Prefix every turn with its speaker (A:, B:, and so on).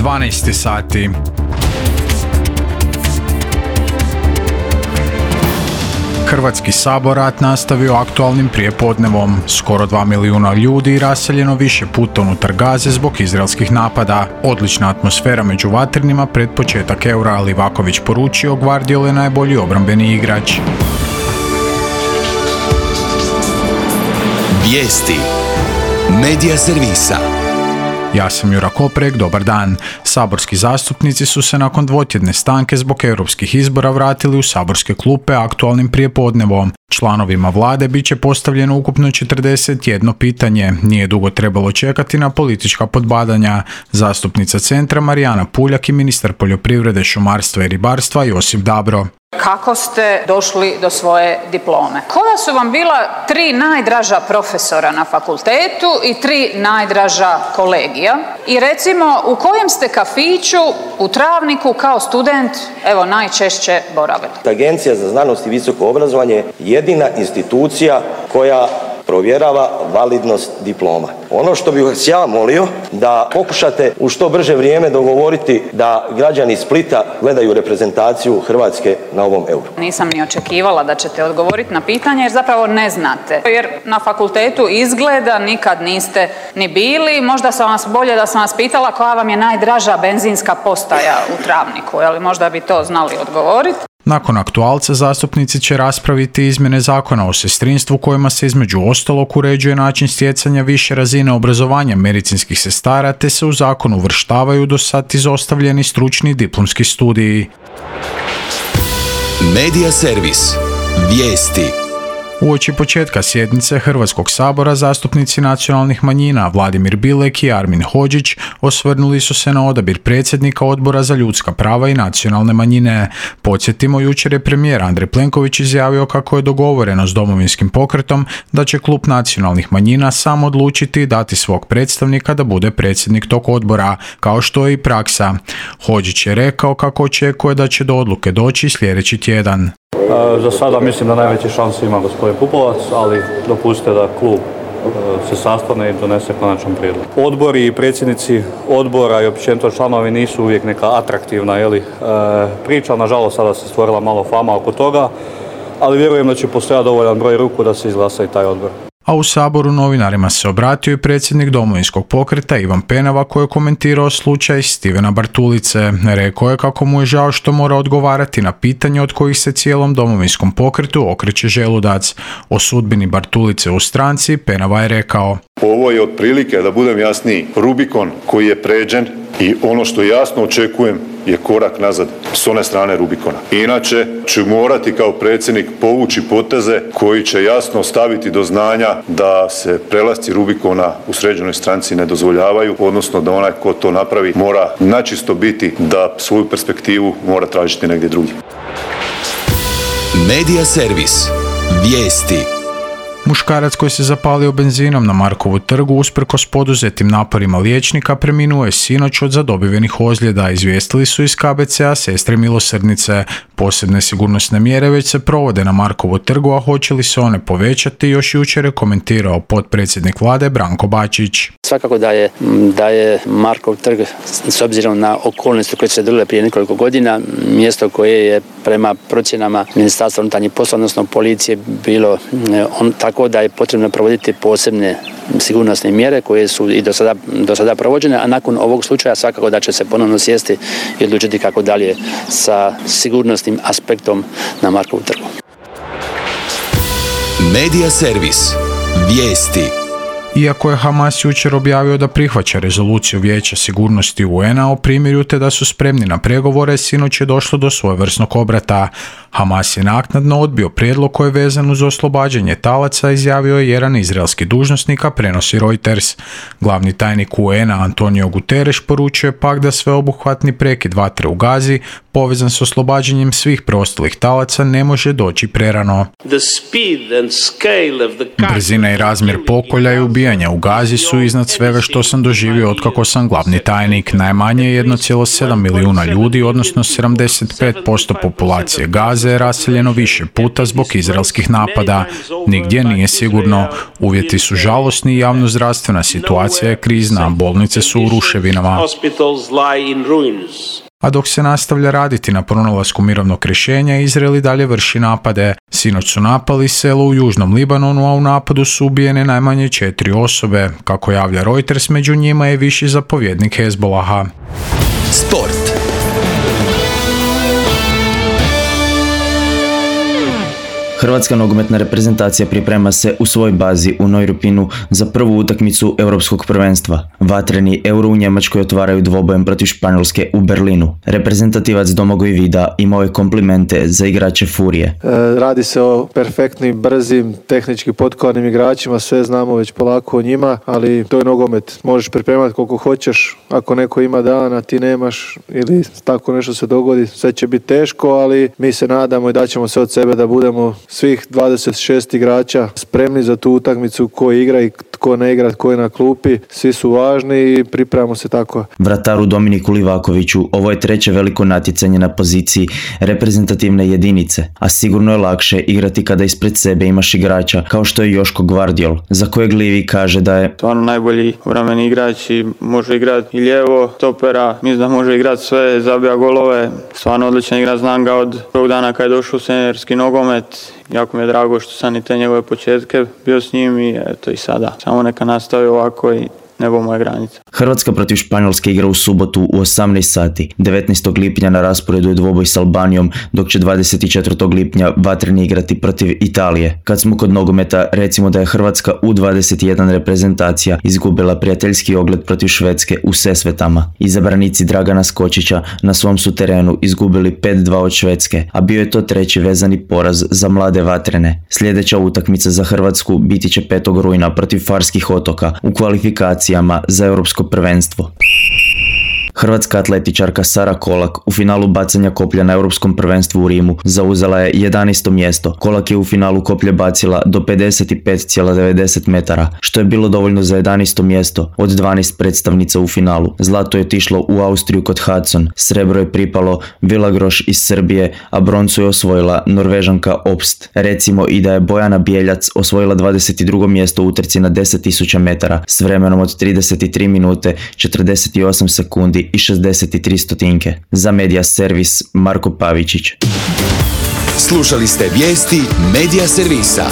A: 12 sati. Hrvatski sabor rat nastavio aktualnim prijepodnevom. Skoro 2 milijuna ljudi raseljeno više puta unutar Gaze zbog izraelskih napada. Odlična atmosfera među vatrenima pred početak Eura, ali Livaković poručio Gvardiol je najbolji obrambeni igrač.
B: Vijesti Medija servisa.
A: Ja sam Jura Koprek, dobar dan. Saborski zastupnici su se nakon dvotjedne stanke zbog europskih izbora vratili u saborske klupe aktualnim prijepodnevom. Članovima vlade bit će postavljeno ukupno 41 pitanje. Nije dugo trebalo čekati na politička podbadanja. Zastupnica Centra Marijana Puljak i ministar poljoprivrede, šumarstva i ribarstva Josip Dabro.
C: Kako ste došli do svoje diplome? Koja su vam bila 3 najdraža profesora na fakultetu i 3 najdraža kolegija? I recimo, u kojem ste kafiću u Travniku kao student, evo, najčešće boravili?
D: Agencija za znanost i visoko obrazovanje je jedina institucija koja provjerava validnost diploma. Ono što bih vas ja molio, da pokušate u što brže vrijeme dogovoriti da građani Splita gledaju reprezentaciju Hrvatske na ovom Euru.
C: Nisam ni očekivala da ćete odgovoriti na pitanje jer zapravo ne znate. Jer na fakultetu izgleda nikad niste ni bili. Možda sam vas bolje da sam vas pitala koja vam je najdraža benzinska postaja u Travniku, ali možda bi to znali odgovoriti.
A: Nakon aktualca zastupnici će raspraviti izmjene zakona o sestrinstvu kojima se između ostalog uređuje način stjecanja više razine obrazovanja medicinskih sestara te se u zakon uvrštavaju do sad izostavljeni stručni diplomski studiji.
B: Medija servis. Vijesti.
A: Uoči početka sjednice Hrvatskog sabora zastupnici nacionalnih manjina Vladimir Bilek i Armin Hodžić osvrnuli su se na odabir predsjednika Odbora za ljudska prava i nacionalne manjine. Podsjetimo, jučer je premijer Andrej Plenković izjavio kako je dogovoreno s Domovinskim pokretom da će klub nacionalnih manjina sam odlučiti dati svog predstavnika da bude predsjednik tog odbora, kao što je i praksa. Hodžić je rekao kako očekuje da će do odluke doći sljedeći tjedan.
E: Za sada mislim da najveće šanse ima gospodin Pupovac, ali dopustite da klub se sastane i donese konačan prijedlog. Odbori i predsjednici odbora i općenito članovi nisu uvijek neka atraktivna priča, nažalost sada se stvorila malo fama oko toga, ali vjerujem da će postojati dovoljan broj ruku da se izglasa i taj odbor.
A: A u Saboru novinarima se obratio i predsjednik Domovinskog pokreta Ivan Penava koji je komentirao slučaj Stivena Bartulice. Rekao je kako mu je žao što mora odgovarati na pitanje od kojih se cijelom Domovinskom pokretu okreće želudac. O sudbini Bartulice u stranci Penava je rekao:
F: Ovo je otprilike, da budem jasniji, Rubikon koji je pređen i ono što jasno očekujem je korak nazad s one strane Rubikona. Inače ću morati kao predsjednik povući poteze koji će jasno staviti do znanja da se prelasci Rubikona u sređenoj stranci ne dozvoljavaju, odnosno da onaj ko to napravi mora načisto biti da svoju perspektivu mora tražiti negdje drugdje.
B: Medija servis. Vijesti.
A: Muškarac koji se zapalio benzinom na Markovu trgu usprkos poduzetim naporima liječnika preminuo je sinoć od zadobivenih ozljeda, izvijestili su iz KBC-a Sestre milosrdnice. Posebne sigurnosne mjere već se provode na Markovu trgu, a hoće li se one povećati, još jučer je komentirao potpredsjednik vlade Branko Bačić.
G: Svakako da je Markov trg, s obzirom na okolnosti koje su se dogodile prije nekoliko godina, mjesto koje je prema procjenama Ministarstva unutarnjih poslova, odnosno policije, bilo tako da je potrebno provoditi posebne sigurnosne mjere koje su i do sada provođene, a nakon ovog slučaja svakako da će se ponovno sjesti i odlučiti kako dalje sa sigurnosnim aspektom na Markovu trgu.
B: Medija servis. Vijesti.
A: Iako je Hamas jučer objavio da prihvaća rezoluciju Vijeća sigurnosti UN-a o primirju te da su spremni na pregovore, sinoć je došlo do svojevrsnog obrata. Hamas je naknadno odbio prijedlog koji je vezan uz oslobađanje talaca, izjavio je jedan izraelski dužnosnik, a prenosi Reuters. Glavni tajnik UN-a Antonio Guterres poručuje pak da sveobuhvatni prekid vatre u Gazi povezan s oslobađanjem svih preostalih talaca ne može doći prerano. Brzina i razmjer pokolja i ubijanja u Gazi su iznad svega što sam doživio otkako sam glavni tajnik. Najmanje 1,7 milijuna ljudi, odnosno 75% populacije Gaze je raseljeno više puta zbog izraelskih napada. Nigdje nije sigurno. Uvjeti su žalosni i javnozdravstvena situacija je krizna. Bolnice su u ruševinama. A dok se nastavlja raditi na pronalasku mirovnog rješenja, Izrael i dalje vrši napade. Sinoć su napali selo u južnom Libanonu, a u napadu su ubijene najmanje 4 osobe. Kako javlja Reuters, među njima je viši zapovjednik Hezbolaha.
B: Sport.
H: Hrvatska nogometna reprezentacija priprema se u svoj bazi u Neurupinu za prvu utakmicu Europskog prvenstva. Vatreni Euro u Njemačkoj otvaraju dvobojem protiv Španjolske u Berlinu. Reprezentativac Domagoj Vida imao je komplimente za igrače Furije.
I: Radi se o perfektnim, brzim, tehnički potkovanim igračima, sve znamo već polako o njima, ali to je nogomet. Možeš pripremati koliko hoćeš, ako neko ima dan, a ti nemaš ili tako nešto se dogodi, sve će biti teško, ali mi se nadamo i daćemo sve od sebe da budemo svih 26 igrača spremni za tu utakmicu, ko igra i tko ne igra, tko je na klupi, svi su važni i pripremamo se tako.
H: Vrataru Dominiku Livakoviću ovo je treće veliko natjecanje na poziciji reprezentativne jedinice, a sigurno je lakše igrati kada ispred sebe imaš igrača kao što je Joško Gvardiol, za kojeg Livi kaže da je
J: stvarno najbolji obrambeni igrač i može igrati i lijevo, stopera, mislim da može igrati sve, zabija golove, stvarno odličan igrač, znam ga od prvog dana kad je došao u seniorski nogomet. Jako mi je drago što sam i te njegove početke bio s njim i eto i sada. Samo neka nastavi ovako i nebo moje granice.
H: Hrvatska protiv Španjolske igra u subotu u 18 sati. 19. lipnja na rasporedu je dvoboj s Albanijom, dok će 24. lipnja vatreni igrati protiv Italije. Kad smo kod nogometa, recimo da je Hrvatska U21 reprezentacija izgubila prijateljski ogled protiv Švedske u Sesvetama. Izabranici Dragana Skočića na svom su terenu izgubili 5-2 od Švedske, a bio je to treći vezani poraz za mlade vatrene. Sljedeća utakmica za Hrvatsku biti će 5. rujna protiv Farskih otoka u kvalifikaciji za europsko prvenstvo. Hrvatska atletičarka Sara Kolak u finalu bacanja koplja na europskom prvenstvu u Rimu zauzela je 11. mjesto. Kolak je u finalu koplje bacila do 55,90 metara, što je bilo dovoljno za 11. mjesto od 12 predstavnica u finalu. Zlato je otišlo u Austriju kod Hudson, srebro je pripalo Villagroš iz Srbije, a broncu je osvojila Norvežanka Obst. Recimo i da je Bojana Bijeljac osvojila 22. mjesto u utrci na 10.000 metara s vremenom od 33 minute, 48 sekundi i 63 stotinke. Za Media Servis Marko Pavičić.
B: Slušali ste vijesti Media Servisa.